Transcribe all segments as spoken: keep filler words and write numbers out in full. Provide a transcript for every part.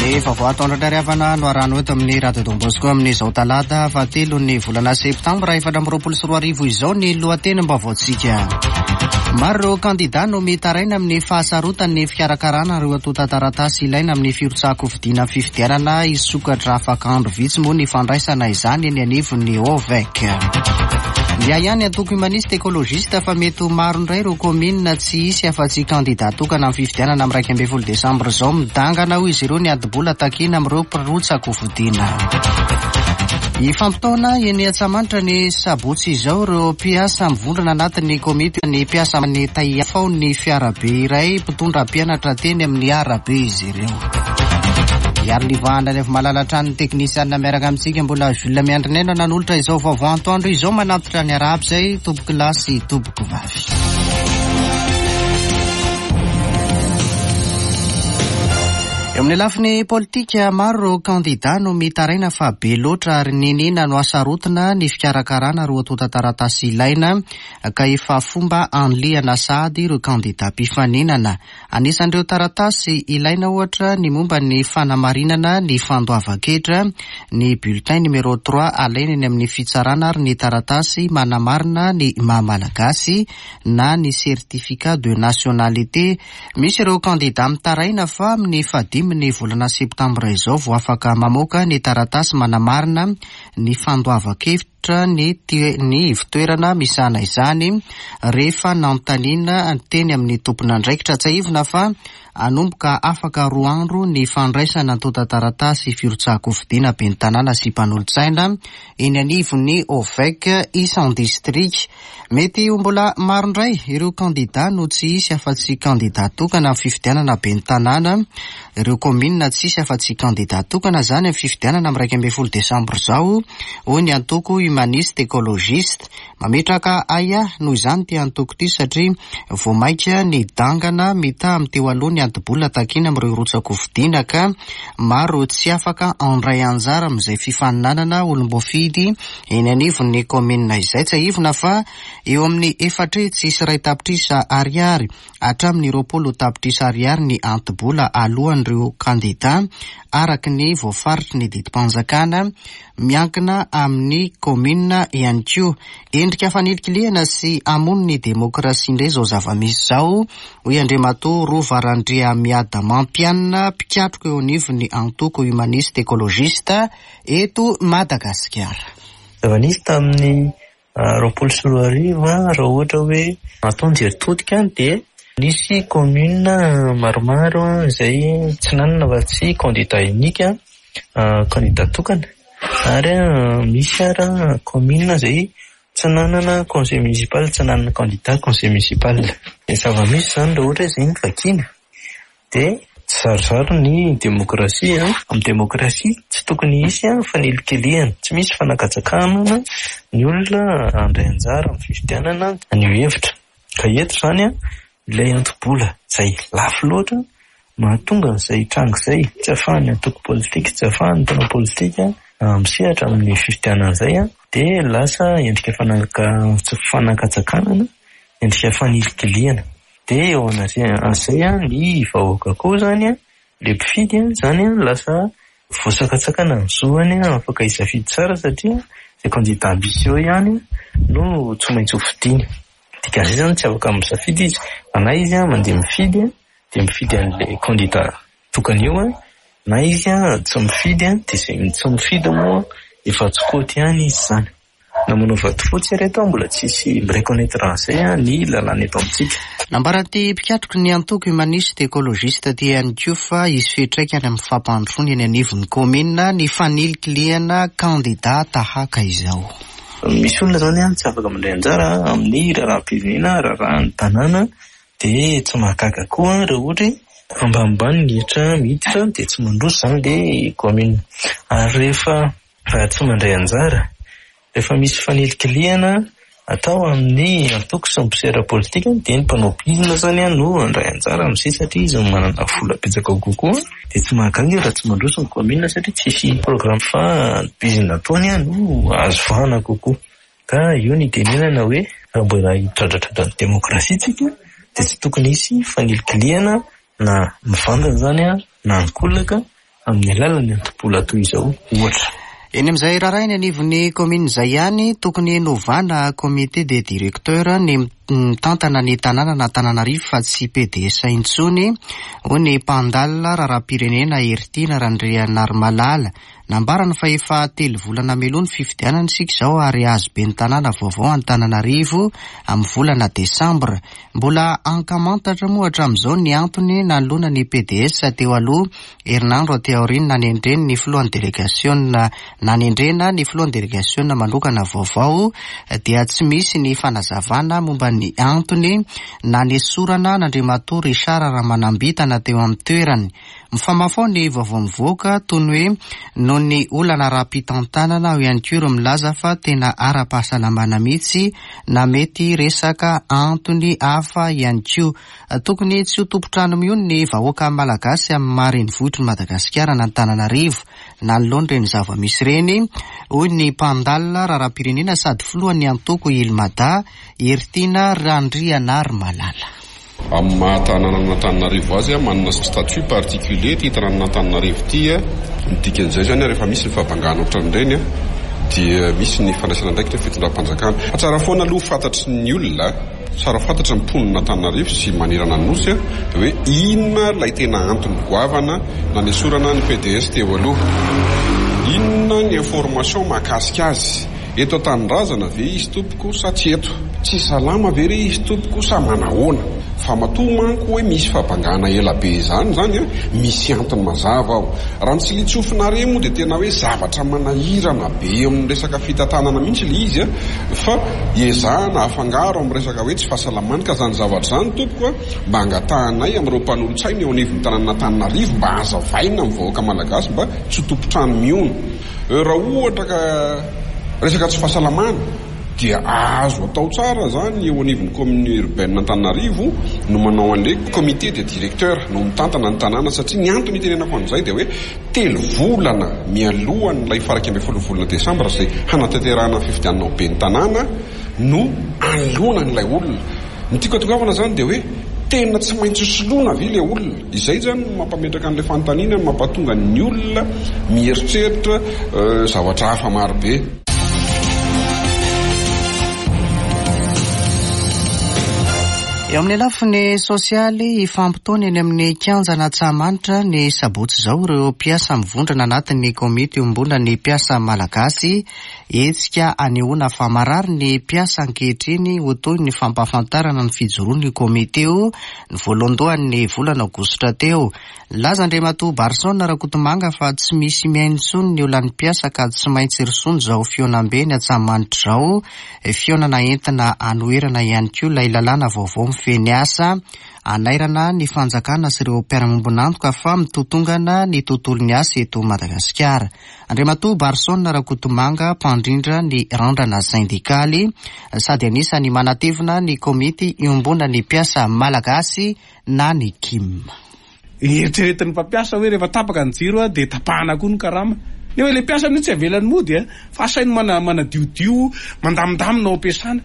Ny vaovao atoandro indray havana no arahana eto amin'ny Radio Don Bosco amin'izao talata fahatelo ny volana septambra efatra amby roapolo sy roa arivo izao ny lohatenim-baovaontsika. Maro ireo kandida no mitaraina amin'ny fahasarotan'ny fikarakarana ireo antontan-taratasy ilaina amin'ny firotsahan-kofidina fifidianana. Hisokatra afaka andro vitsy moa ny fandraisana izany eny anivon'ny O V E C. Miahy ihany antoko Humaniste Écologiste fa mety ho maro indray ireo kaominina tsy hisy afa-tsy kandida tokana amin'ny fifidianana amin'ny iraika ambin'ny folo desambra izao. Midangana hoy izy ireo ny anto-bola takiana amin'ireo mpirotsa-kofidina. Hifampitaona eny Antsahamanitra ny sabotsy izao ireo mpiasa mivondrona anatin'ny komity ny mpiasa ny taiafao ny fiarabe iray mpitondra mpianatra teny amin'ny arabe izy ireo. Iary livahana ny avy malala trano teknisianina miaraka amintsika mbola Jules Miandrinaina nanolotra izao vaovao antoandro izao. Manatitra ny araby izay tompoko lahy sy tompoko vavy. Eo amin'ny lafiny politika, maro ireo kandida no mitaraina fa be loatra ary ninina no asarotina ny fikarakarana ireo antontan-taratasy ilaina, ka efa fomba anlihana sady ireo kandida mpifaninana. Anisan'ireo taratasy ilaina ohatra ny momba ny fanamarinana ny fandoavan-ketra, ny bulletin numéro trois alaina eny amin'ny fitsarana, ary ny taratasy manamarina ny maha-malagasy na ny certificat de nationalité. Misy ireo kandida mitaraina fa amin'ny fahadimy ny volana septambra izao vao afaka mamoaka ny taratasy manamarina ny fandoavan-ketra ny ny ivontoerana misahana izany rehefa nanontaniana teny amin'ny tompon'andraikitra. Tsiahivina fa hanomboka afaka roa andro ny fandraisana antontan-taratasy firotsahan-kofidina ben'ny tanàna sy mpanolotsaina eny anivon'ny O V E C isan-distrika. Mety ho mbola maro indray ireo kandida no tsy hisy afa-tsy kandida tokana amin'ny fifidianana ben'ny tanàna, ireo kaominina tsy hisy afa-tsy kandida tokana zany amin'ny fifidianana amin'ny iraika ambin'ny folo desambra izao, hoy ny antoko Humaniste Écologiste. Mametraka ahiahy noho izany ty antoko ity satria vao maika ny dangana mitaha amin'ny teo aloha ny anto-bola takiana amin'ireo rotsa-kofidina, ka maro tsy afaka handray anjara amin'izay fifaninanana olom-boafidy eny anivon'ny kaominina izay. Tsiahivina fa eo amin'ny efatra hetsy sy iray tapitrisa ariary hatramin'ny roapolo tapitrisa ariary ny anto-bola alohan'ireo kandida araka ny voafaritry ny didim-panjakana, miankina amin'ny kaominina ihany koa. Endrika fanilikilihana sy hamono ny demokrasia indray izao zava-misy izao, hoy Andriamatoa Rova Randriamiadamampianina, mpikatroka eo anivon'ny antoko Humaniste Écologiste eto Madagasikara. Zava-nisy tamin'ny roapolo sy roa arivo, raha ohatra hoe atao ny jery todika, dia nisy commune maromaro izay tsy nanana afa-tsy candidat unique, candidat tokana, ary misy ara commune izay tsy nanana conseil municipal, tsy nanana candidat conseil municipal. Ny zava-misy izany, raha ohatra hoe izay no vakiana, dia tsy zarizary ny demokrasia. Amin'ny demokrasia tsy tokony hisy fanilikilihana, tsy misy fanakatsakanana ny olona handray anjara amin'ny fifidianana haneho hevitra. Ka eto izany ilay anto-bola izay lafo loatra mahatonga an'izay tranga izay, tsy ahafahan'ny antoko politika, tsy ahafahan'ny mpanao politika misehatra amin'ny fifidianana izay, dia lasa endrika fanakatsakanana, endrika fanilikilihana. Dia eo anatrehan'izay ny vahoaka koa izany, ilay mpifidy izany, lasa voasakatsakana ny zoany afaka hisafidy tsara satria izay candidat ambitieux ihany no tsy maintsy ho fidiana. Dikan'izay izany tsy afaka misafidy izy, fa na izy mandeha mifidy dia mifidy an'ilay candidat tokana eo, na izy tsy mifidy, dia izay tsy mifidy moa efa tsy quote ihany izy izany. Na manao vato fotsy ireto, mbola tsisy mi-reconnaître an'izay ny lalàna eto amintsika. Nambaran'ity mpikatroky ny antoko Humaniste Écologiste ty ihany koa fa hisy fiantraikany amin'ny fampandrosoana eny anivon'ny kaominina ny fanilikilihana kandida tahaka izao. Misy olona izany tsy afaka mandray anjara amin'ny raharaham-pirenena, raharahan'ny tanàna, dia tsy mahagaga koa raha ohatra hoe ambanimbany ny hetra miditra, dia tsy mandroso izany ilay kaominina. Ary rehefa tsy mandray anjara, rehefa misy fanilikilihana atao amin'ny antoko sy ny mpisera politika, dia ny mpanao bizina izany no handray anjara amin'izay satria izy no manana vola betsaka kokoa, dia tsy mahagaga raha tsy mandroso ny kaominina satria tsisy programme fa bizina ataony no azo vahana kokoa. Ka io no itenenana hoe raha mbola hitradratradra ny demokrasia tsika, dia tsy tokony hisy fanilikilihana na mivantana izany na ankolaka amin'ny alalan'ny antom-bola toy izao ohatra. Eny amin'izay raharaha eny anivon'ny commune izay ihany, tokony novana comité des directeurs ny mitantana ny tanànan'Antananarivo fa tsy P D S intsony, hoy ny mpandalina raharaham-pirenena Heritiana Randrianarimalala. Nambarany fa efa telo volana mialoha ny fifidianana isika izao ary azo be ny tanàna vaovao Antananarivo amin'ny volana desambra. Mbola ankamantatra moa hatramin'izao ny antony nanoloana ny P D S teo aloha, herinandro aty aoriana nanendreny ny filohan'ny delegasiona nanendrena ny filohan'ny delegasiona manokana vaovao, dia tsy misy ny fanazavana momba ny antony nanesorana an'Andriamatoa Richard Ramanambitana teo amin'ny toerany. Mifamafao ny vaovao mivoaka toy ny hoe noho ny olana ara-pitantanana ao ihany koa ireo milaza fa tena ara-pahasalamana mihitsy na mety resaka antony hafa ihany koa. Tokony tsy ho tompon-trano mihono ny vahoaka malagasy amin'ny maha renivohitr'i Madagasikara na Antananarivo nanoloana ireny zava-misy ireny, hoy ny mpandalina raharaham-pirenena sady filohan'ny antoko Ilmada, Heritiana Randrianarimalala. Amin'ny maha tanànan'Antananarivo azy, manana statut particulier ity tanànan'Antananarivo ity. Ny dikan'izay zany, rehefa misy ny fahabangana ohatran'ireny, dia misy ny fandraisana andraikitra fitondram-panjakana. Fa tsara foana aloha fantatry ny olona, tsara fantatry ny mponina Antananarivo sy manerana ny Nosy, dia hoe inona ilay tena antony goavana nanesorana ny P D S teo aloha, inona ny information mahakasika azy, eto an-tanindrazana ve izy tompoko sa tsy eto, tsy salama ve re izy tompoko sa manahoana. Fa matoa manko hoe misy fahabangana ela be izany zany, misy antony mazava ao. Raha ny tsilitsofina re moa dia tena hoe zavatra manahirana be amin'ny resaka fitantanana mihitsy ilay izy, fa ezahana afangaro amin'ny resaka hoe tsy fahasalamana. Ka zany zavatra izany tompoko, mba angatahanay amin'ireo mpanolotsaina eo anivon'ny tanànan'Antananarivo mba hazavaina amin'ny vahoaka malagasy mba tsy ho tompon-trano mihono. Raha ohatra ka resaka tsy fahasalamana dia azo atao tsara zany eo anivon'ny commune urbaine Antananarivo no manao an'ilay comité des directeurs no mitantana ny tanàna, satria ny antony itenenako an'izay dia hoe telo volana mialohan'ilay faraika ambin'ny folo volana desambra izay hanatanterahana ny fifidianana ho ben'ny tanàna no anoloana an'ilay olona. Ny tiako atongavana zany dia hoe tena tsy maintsy soloina ve ilay olona? Izay zany no mampametraka an'ilay fanontaniana, mampatonga ny olona mieritreritra zavatra hafa marobe. Eo amin'ny lafiny sosialy, hifampitaona eny amin'ny kianjan'Antsahamanitra ny sabotsy izao ireo mpiasa mivondrona anatin'ny komity iombonan'ny mpiasa malagasy. Hetsika anehoana fa marary ny mpiasa ankehitriny ho toy ny fampahafantarana ny fijoroan'ny komity io ny voalohandohan'ny volana aogositra teo. Nilaza Andriamatoa Barson Rakotomanga fa tsy misy mihaino intsony ny olan'ny mpiasa ka tsy maintsy rosoana izao fihaonambe ny Antsahamanitra izao. Fihaonana entina anoherana ihany koa ilay lalàna vaovao mifehy ny asa, anairana ny fanjakana sy ireo mpiara-miombon'antoka fa mitotongana ny tontolon'ny asa eto Madagasikara. Andriamatoa Barson Rakotomanga, mpandrindra ny randrana sendikaly sady anisan'ny manatevina ny komity iombonan'ny mpiasa malagasy na ny K I M. Eritreretin'ny mpampiasa hoe rehefa tapaka ny jiro dia tapahana koa ny karama. Nefa ilay mpiasa mihitsy tsy avelany mody, fa asainy mana-, manadiodio, mandamindamina ao am-piasana.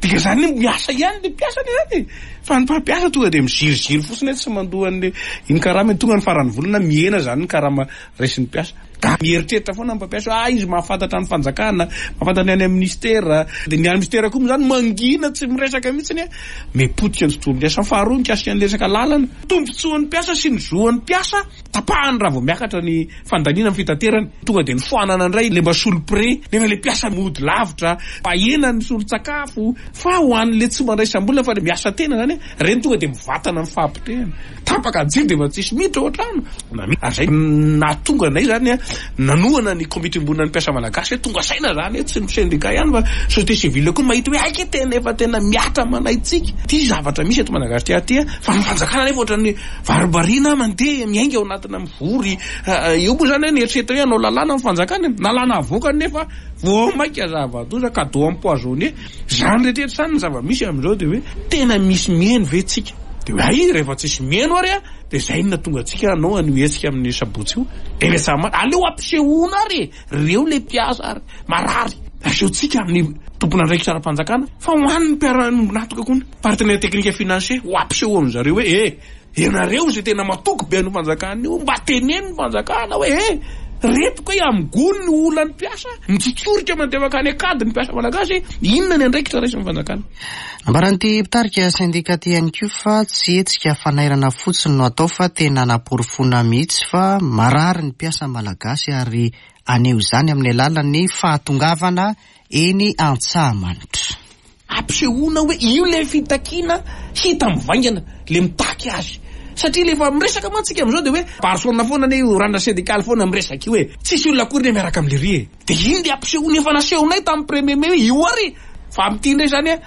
Dika izany miasa ihany ilay mpiasa anie zany e. Fa ny mpampiasa tonga dia miziriziry fotsiny hoe tsy mandoa an'ilay iny karama iny. Tonga ny faran'ny volana mihena zany ny karama raisin'ny mpiasa. Ka mieritreritra foana ny mpampiasa hoe, ah, izy mahafantatra ny fanjakana, mahafantatra ny any amin'ny ministera. Dia ny any ministera koa moa zany mangina tsy miresaka mihitsy ny, mipotika ny tontolon'ny asa. Faharoa mikasika ny resaka lalana, tombontsoan'ny mpiasa sy ny zoan'ny mpiasa tapahany raha vao miakatra ny fandaniana amin'ny fitaterana. Tonga dia ny foanana indray ilay mba solo-pré, nefa ilay mpiasa mody lavitra, ahena ny solon-tsakafo, fa ho an'ilay tsy mandray sambolina fa ilay miasa tena zany, ireny tonga dia mivatana amin'ny fahapotehana. Tapaka ny jiro dia efa tsisy miditra ao an-trano. Ary izay nahatonga anay zany nanohana ny komity iombonan'ny mpiasa malagasy hoe tonga saina zany hoe tsy ny syndicat ihany fa société civile koa mahita hoe aika tena efa tena miatra manaitsika ty zavatra misy eto Madagasikara ty, fa ny fanjakana nefa ohatran'ny varimbariana mandeha miainga ao anatina mivory. Eo moa zany hoe nieritreritra hoe hanao lalàna ny fanjakana, lalàna avoakany nefa vao mainka zava-doza, cadeau empoisonné. Zany rehetra zany ny zava-misy amin'izao dia hoe tena misy mihaino ve tsika? Dia hoe ay, rehefa tsisy mihaino ary a, dia izay no nahatonga antsika hanao an'io hetsika amin'ny sabotsy io. Eny Antsahamanitra, aleo ampisehoana ary e, reo ilay mpiasa ary marary. Asehontsika amin'ny tompon'andraikitra ara-panjakana fa ho an'ny mpiara-miombon'antoka koa ny partenaire technique financier ho ampiseho amin'zareo hoe, eh, Ianareo izay tena matoky be an'io fanjakana io, mba teneno ny fanjakana hoe e, reto koa amin'ny gony ny olan'ny mpiasa, mitsotsorika mandeha mankany an-kady ny mpiasa malagasy, inona ny andraikitra raisin'ny fanjakana? Nambaran'ity mpitarika sendika ity ihany koa fa tsy hetsika fanairana fotsiny no atao fa tena anaporofoana mihitsy fa marary ny mpiasa malagasy ary haneho izany amin'ny alalan'ny fahatongavana eny Antsahamanitra. Ampisehoana hoe io ilay fitakiana hita mivaingana, ilay mitaky azy. Satria ilay efa miresaka mantsy isika amin'izao dia hoe Barcelona foana anie io randra syndikaly foana miresaka io e. Tsisy olona akory anie miaraka amin'lery e. Dia iny ilay ampisehoana efa nasehonay tamin'ny premier mai hoe io ary. Fa amin'ity indray izany a,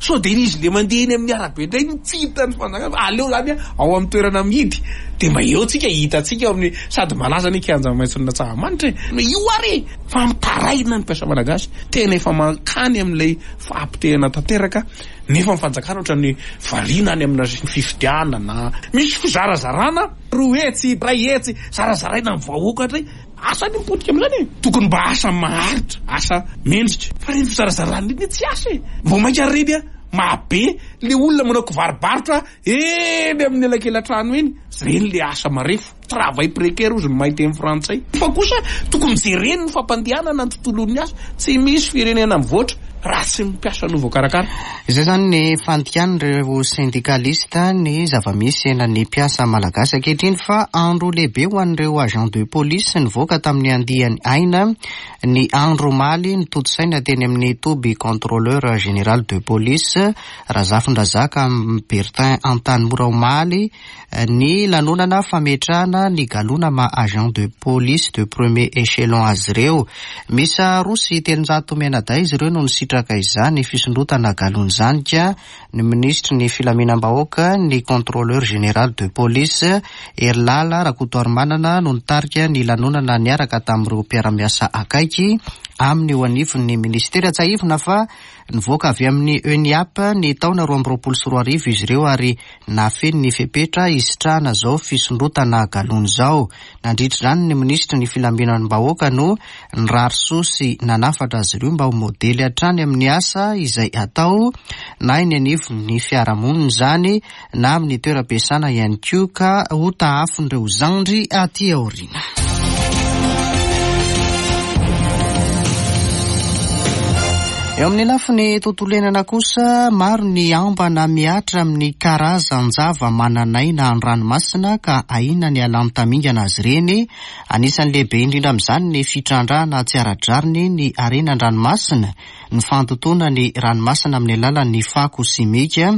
sao dia izy ilay mandeha eny amin'ny arabe indray no tsy hitan'ny fanjakana fa aleo izany a, ao amin'ny toerana mihidy. Dia mba eo tsika hitantsika ao amin'ny sady malaza anie kianja maitson'Antsahamanitra e. Io ary e. Fa mitaraina ny mpiasa malagasy. Tena efa mankany amin'ilay fahapotehana tanteraka nefa ny fanjakana ohatran'ny variana any amina fifidianana. Misy fizarazarana roa hetsy, iray hetsy, zarazaraina amin'ny vahoaka indray. Asa ny mipotika amin'izany e. Tokony mba asa maharitra, asa mendrika. Fa ireny fizarazarana ireny tsy asa e. Vao mainka ary ireny mahabe le olona manao kivarobarotra eny amin'ny elakelatrano eny. Ireny le asa marefo. Travail précaire hozy ny mahay teny frantsay. Fa kosa tokony jereny ny fampandehanana ny tontolon'ny asa. Tsy misy firenena mivoatra raha tsy ny mpiasa no voakarakara. Izay izany ny fandikan'ireo sendikalista ny zava-misy iainan'ny mpiasa malagasy ankehitriny fa andro lehibe ho an'ireo agent de police nivoaka tamin'ny andiany Aina ny andro omaly notontosaina teny amin'ny toby contrôleur général de police Razafindrazaka Bertin Antanimora omaly ny lanonana fametrahana ny galona maha agent de police de premier échelon azy ireo. Miisa roa sy telonjato mianadahy izy ireo no nisitraka izany fisondrotana galona izany ka ny minisitry ny filaminam-bahoaka, ny contrôleur général de police Herilala Rakotoarimanana no nitarika ny lanonana niaraka tamin'ireo mpiara-miasa akaiky aminy eo anivon'ny ministera. Tsiahivina fa nivoaka avy amin'ny ENIAP ny taona roa amby roapolo sy roa arivo izy ireo ary nahafeno ny fepetra hisitrahana izao fisondrotana galona izao. Nandritra izany ny minisitry ny filaminam-bahoaka no nirary soa sy nanafatra azy ireo mba ho modely hatrany amin'ny asa izay atao na eny anivon'ny fiarahamonina izany na amin'ny toeram-piasana ihany koa ka ho tahafin'ireo zandry aty aoriana. Eo amin'ny lafiny tontolo iainana kosa, maro ny ambana mihatra amin'ny karazan-java-mananaina an-dranomasina ka ahiana ny halany tamingana azy ireny. Anisan'ny lehibe indrindra amin'izany ny fitrandrahana tsy ara-drariny ny harena an-dranomasina, ny fandotoana ny ranomasina amin'ny alalan'ny fako simika,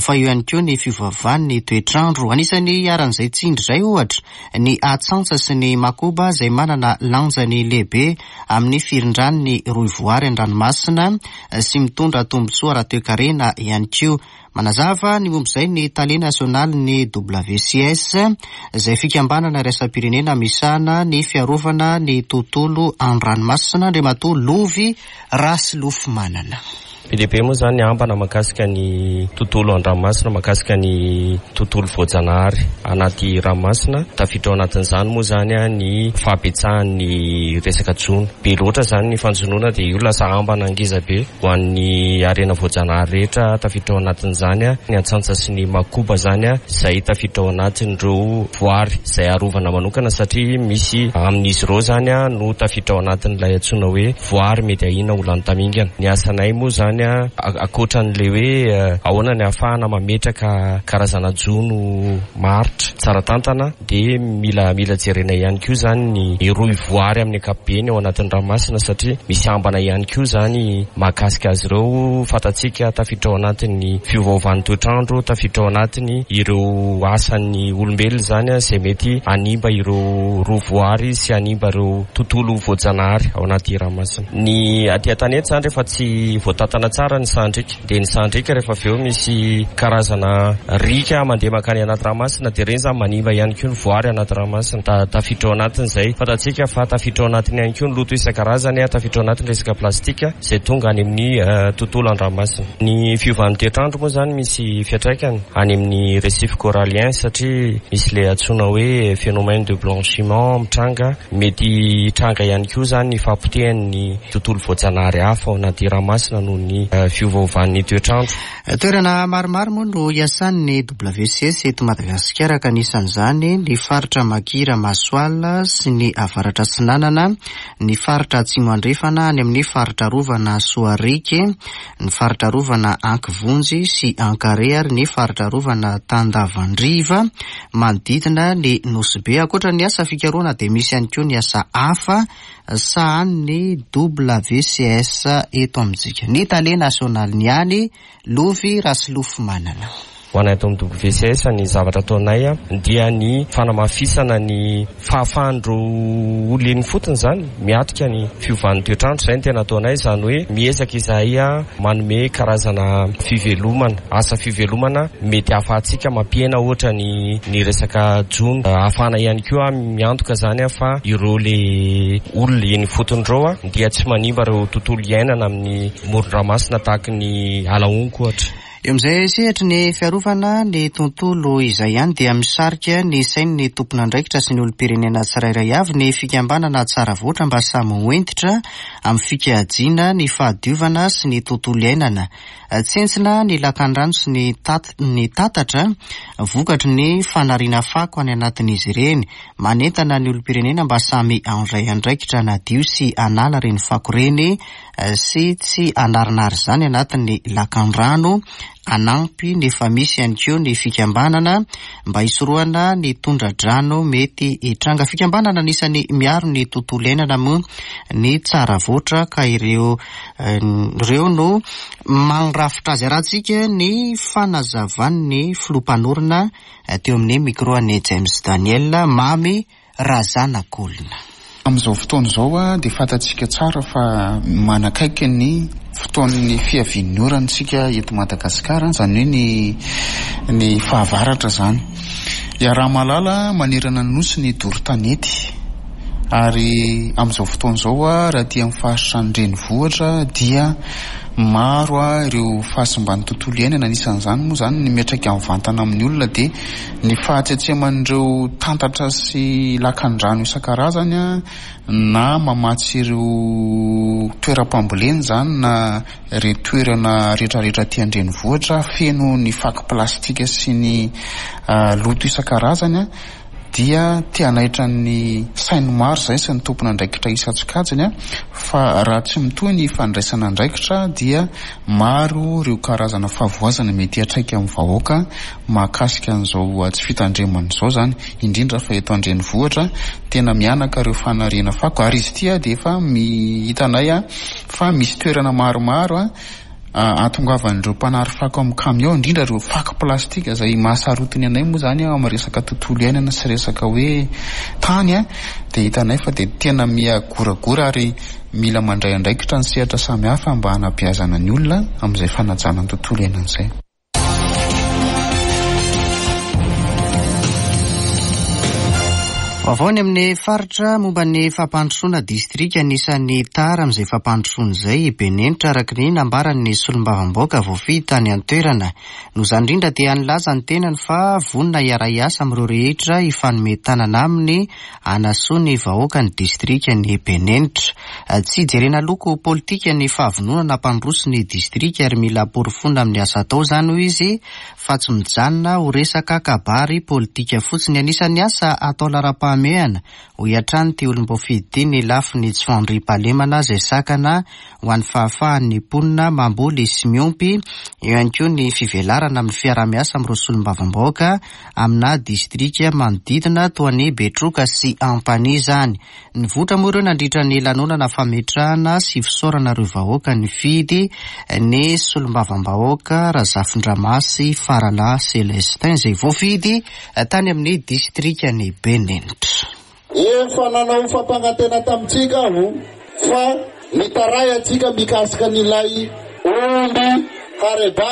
fa eo ihany koa ny fiovaovan'ny toetrandro. Anisan'ny iharan'izay tsindry izay ohatra ny atsantsa sy ny makoba izay manana lanjany lehibe amin'ny firindran'ny rohivoary an-dranomasina sy mitondra tombontsoa ara-toekarena ihany koa. Manazava ny momba izay ny tale nasionalin'ny W C S izay fikambanana iraisam-pirenena misahana ny fiarovana ny tontolo an-dranomasina, Andriamatoa Lovy Rasolofomanana. Be dia be moa izany ny ambana mahakasika ny tontolo an-dranomasina, mahakasika ny tontolo voajanahary anaty ranomasina. Tafiditra ao anatin'izany moa izany ny fahabetsahan'ny resaka jono. Be loatra izany ny fanjonoana dia io lasa ambana ngeza be ho an'ny harena voajanahary rehetra. Tafiditra ao anatin'izany ny antsantsa sy ny makoba izany izay tafiditra ao anatin'ireo voary izay arovana manokana satria misy amin'izy ireo izany no tafiditra ao anatin'ilay antsoina hoe voary mety ahiana ho lany tamingana. Ny asanay moa izany ankoatran'ilay hoe ahoana ny ahafahana mametraka karazana jono maharitra tsara tantana dia mila mila jerena ihany koa izany ny rohy voary amin'ny ankapobeny ao anatin'ny ranomasina satria misy ambana ihany koa izany mahakasika azy ireo. Fantatsika tafiditra ao anatin'ny fiovaovan'ny toetrandro, tafiditra ao anatin'ny ireo asan'ny olombelona izany izay mety hanimba ireo rohy voary sy hanimba ireo tontolo voajanahary ao anaty ranomasina. Ny aty an-tanety izany rehefa tsy voatantana tsara ny sahandriaka dia ny sahandriaka rehefa avy eo misy karazana riaka mandeha mankany anaty ranomasina dia ireny izany manimba ihany koa ny voary anaty ranomasina. Tafiditra ao anatin'izay fantatsika fa tafiditra ao anatiny ihany koa ny loto isan-karazany, tafiditra ao anatin'ny resaka plastika izay tonga any amin'ny tontolo an-dranomasina. Ny fiovan'ny toetrandro moa izany misy fiantraikany any amin'ny récif corallien satria misy ilay antsoina hoe phénomène de blanchiment mitranga. Mety hitranga ihany koa izany ny fahapotehan'ny tontolo voajanahary hafa ao anaty ranomasina noho ny ny fiovaovan'ny toetrandro. Toerana maromaro moa no iasan'ny W C S eto Madagasikara, ka anisan'izany ny faritra Makira Masoala sy ny Avaratra Atsinanana, ny faritra Atsimo Andrefana any amin'ny faritra Arovana Soariky, ny faritra Arovana Ankivonjy sy Ankare ary ny faritra Arovana Tandavandriva manodidina ny Nosy Be. Ankoatra ny asa fikarohana dia misy ihany koa ny asa hafa sahanin'ny W C S eto amintsika. Ny tale nasionaliny ihany, Lovy Rasolofomanana. Ho anay ato amin'ny W C S, ny zavatra ataonay dia ny fanamafisana ny fahafahan'ireo olona eny ifotony izany miatrika ny fiovan'ny toetrandro. Izay no tena ataonay, izany hoe miezaka izahay manome karazana fivelomana, asa fivelomana mety ahafahantsika mampihena ohatra ny, ny resaka jono, ahafahana ihany koa miantoka izany fa ireo le olona eny ifotony ireo dia tsy manimba ireo tontolo iainana amin'ny moron-dranomasina tahaka ny ala-honko ohatra. Eo amin'izay sehatry ny fiarovana ny tontolo izay ihany dia misarika ny sain'ny tompon'andraikitra sy ny olom-pirenena tsirairay avy ny fikambanana Tsara Voatra mba samy ho hentitra amin'ny fikajiana ny fahadiovana sy ny tontolo iainana. Tsentsina ny lakan-drano sy ny tat-, ny tatatra vokatry ny fanariana fako any anatin'izy ireny. Manentana ny olom-pirenena mba samy handray andraikitra hanadio sy hanala ireny fako ireny sy tsy hanarinary izany anatin'ny lakan-drano. Anampy nefa misy ihany koa ny fikambanana mba hisorohana ny tondra-drano mety hitranga. Fikambanana anisan'ny miaro ny tontolo iainana moa ny Tsara Voatra, ka ireo, eh, ireo no mandrafitra azy. Arahantsika ny fanazavan'ny filoham-panorona, eh, teo amin'ny micro an'i James Daniel Mamy Razanakolona. Amin'izao fotoana izao a, dia fantatsika tsara fa manakaiky ny fotoan'ny fiavian'ny orana isika eto Madagasikara, izany hoe ny, ny fahavaratra izany. Iaraha-mahalala manerana ny nosy ny doro tanety, ary amin'izao fotoana izao a, raha aty amin'ny faritra ny renivohitra dia maro a ireo fahasimban'ny tontolo iainana. Anisan'izany moa izany ny miantraika mivantana amin'ny olona dia ny fahatsetseman'ireo tantatra sy lakan-drano isan-karazany a, na mamatsy ireo toeram-pambolena izany na ireo toerana rehetrarehetra aty an-drenivohitra feno ny fako plastika sy ny, ah, loto isan-karazany a, dia te hanaitra ny sain'ny maro izay sy ny tompon'andraikitra isan-tsokajiny a, fa raha tsy mitohy ny fandraisana andraikitra dia maro ireo karazana fahavoazana mety hiantraika amin'ny vahoaka mahakasika an'izao tsy fitandremana izao izany, indrindra fa eto an-drenivohitra tena mianaka ireo fanariana fako. Ary izy ity a dia efa mi-, hitanay a fa misy toerana maromaro a ahatongavan'ireo mpanary fako amin'ny kamiao, indrindra ireo fako plastika izay mahasarotiny anay moa izany amin'ny resaka tontolo iainana sy resaka hoe tany a, dia hitanay fa dia tena miha-goragora ary mila mandray andraikitra ny sehatra samihafa mba hanabeazana ny olona amin'izay fanajana ny tontolo iainana izay. Vaovao ny amin'ny faritra momba ny fampandrosoana distrika anisan'ny tara amin'izay fampandrosoana izay i Benenitra, araka ny nambaran'ny solombavambahoaka voafidy tany an-toerana. Noho izany indrindra dia nilaza ny tenany fa vonona hiara-hiasa amin'ireo rehetra hifanome tanana aminy hanasoa ny vahoaka ny distrika ny Benenitra. Tsy jerena loko politika ny fahavononana hampandroso ny distrika ary mila porofoina amin'ny asa atao izany, hoy izy, fa tsy mijanona ho resaka kabary politika fotsiny. Anisan'ny asa atao laharam-pahamehana, hoy hatrany ity olom-boafidy ity, ny lafiny tsy fandriampahalemana izay sakana ho an'ny fahafahan'ny mponina mamboly sy miompy. Eo ihany koa ny fivelarana amin'ny fiaraha-miasa amin'ireo solombavambahoaka amina distrika manodidina toa ny Betroka sy Ampanihy izany. Nivoitra moa ireo nandritra ny lanonana fametrahana sy fisaorana ireo vahoaka nifidy ny solombavambahoaka Razafindramasy Faralahy Célestin izay voafidy tany amin'ny distrikan'i Benenitra. Efa nanao fampanantena tamintsika aho fa nitaray antsika mikasika an'ilay omby hareba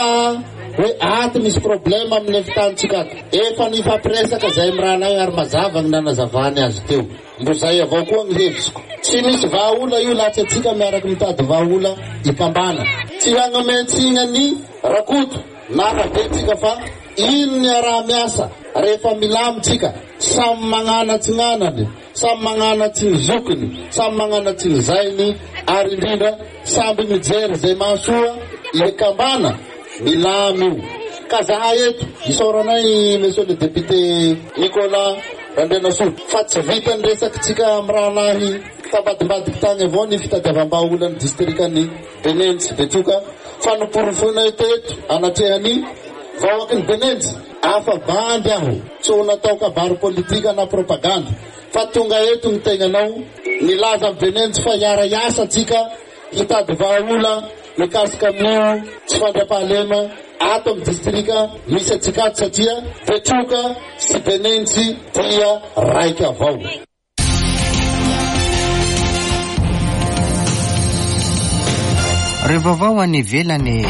hoe ato misy problema amin'ny fitantsika ato. Efa nifampiresaka izay mirahalahy ary mazava ny nanazavany azy teo. Mbo zay avao koa ny hevitsiko. Tsy misy vahaola io latsy antsika miaraka mitady vahaola ikambana. Tsy hagnomentsina ny Rakoto na Rabe-tsika fa ino ny araha-miasa rehefa milamitsika, samy magnanatsinanany, samy magnanatsiny zokiny, samy magnanatsiny zainy, ary indrindra samby mijery izay mahasoa Ilekambana milamy io. Ka zahay eto isaoranay monsieur le député Nicolas Randrianasoa fa tsy vita ny resakitsika amin'ny rahalahy tambadimbadiky tany avao ny fitadiavam-bahaolan'ny distrikan'ny Benentsy Betroka fa noporofoinay teto anatrehany vahoaky ny Benentsy afa bandy aho tsy ho natao kabary politika na propagande fa tonga eto ny tegnanao nilaza amin'ny Benentsy fa hiara-hiasa atsika hitady vahaola mikasika amin'io tsy fandriampahalema ato amin'ny distrika misy atsika ato satria Betroka sy Benentsy dia raika avao. Ireo vaovao any ivelany.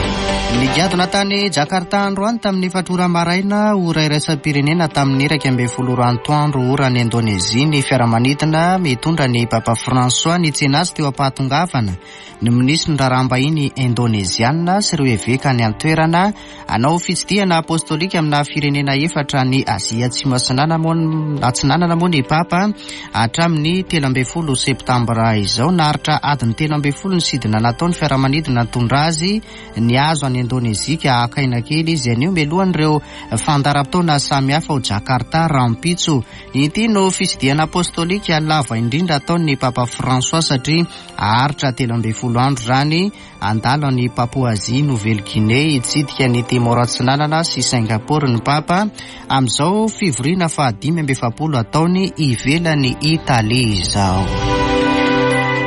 Nigadona tany Jakarta androany tamin'ny efatra ora maraina ora iraisam-pirenena tamin'ny iraika ambin'ny folo ora antoandro ora any Indonezia ny fiaramanidina mitondra ny Papa François nitsena azy teo am-pahatongavana ny minisitry ny raharaham-bahiny indoneziana sy ireo eveka any an-toerana hanao fitsidihana apostolika amina firenena efatra ny Azia Atsimo Atsinanana moa ny Papa hatramin'ny telo ambin'ny folo septambra izao. Naharitra adiny telo ambin'ny folo ny sidina nataony fiaramanidina nitondra azy nihazo any Indonezia ka haka aina kely izy anio mialohan'ireo fandaharam-potoana samihafa ao Jakarta rahampitso. Ity no fitsidihana apostolika lava indrindra ataon'ny Papa François satria haharitra telo ambin'ny folo andro izany handalo any Papouasie Nouvelle-Guinée hitsidika ny Timor Atsinanana sy Singapour ny Papa amin'izao fivoriana fahadimy amby efapolo ataony ivelany Italia izao.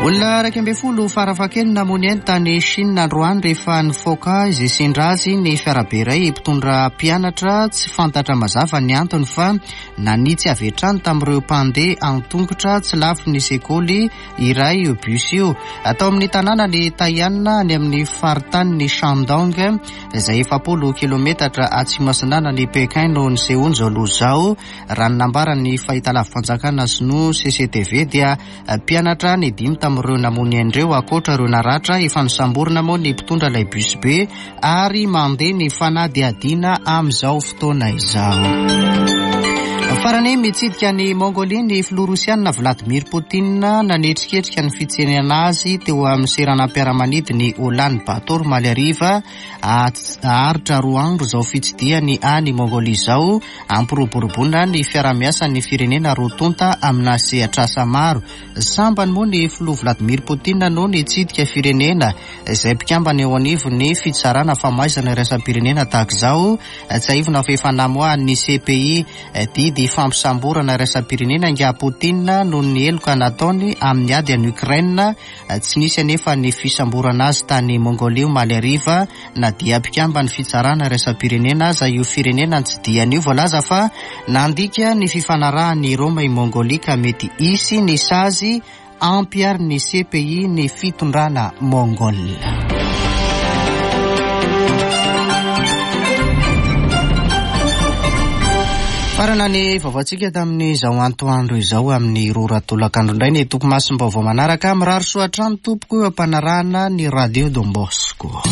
Olona iraika ambin'ny folo farafahakeliny namoy ainy tany Chine androany rehefa nifoaka izay sendra azy ny fiarabe iray mpitondra mpianatra tsy fantatra mazava ny antony fa nanitsy avy hatrany tamin'ireo mpandeha an-tongotra tsy lavitry ny sekoly iray io bus io. Atao amin'ny tanàna ny Taian any amin'ny faritanin'ny Shandong izay efapolo kilometatra atsimo atsinanan'i Pékin no nisehoany izao loza izao. Raha ny nambaran'ny fahitalavi-panjakana sinoa C C T V dia mpianatra ny dimy tamin'ireo namoy ain-dreo ankoatra ireo naratra. Efa nosamborina moa ny mpitondra ilay bus be ary mandeha ny fanadihadiana amin'izao fotoana izao. Farany mitsidika ny Mongolia ny filoha rosiana Vladimir Poutine nanetriketrika ny fitsenana azy teo amin'ny seranam-piaramanidiny Ulan Bator omaly hariva. Haharitra roa andro izao fitsidihany any Mongolia izao hampiroboroboana ny fiarahamiasan'ny firenena roa tonta amina sehatr'asa maro. Sambany moa ny filoha Vladimir Poutine no nitsidika firenena izay mpikambana eo anivon'ny fitsarana famaizana iraisam-pirenena tahaka izao. Tsiahivina fa efa namoahan'ny C P I didy fampisamborana iraisam-pirenena ingahy Poutine noho ny heloka nataony amin'ny ady any Ukraine. Tsy nisy anefa ny fisamborana azy tany Mongolia omaly hariva na dia mpikambana ny fitsarana iraisam-pirenena aza io firenena nitsidihany io. Voalaza fa nandika ny fifanarahan'i Roma i Mongolia ka mety hisy ny sazy ampiharin'ny C P I ny fitondrana Mongol. Farana ny vaovaontsika tamin'izao antoandro izao amin'ny roa ora tolakandro indray ny toko masom-baovao manaraka. Mirary soa hatrany tompoko eo am-panarahana ny Radio Don Bosco.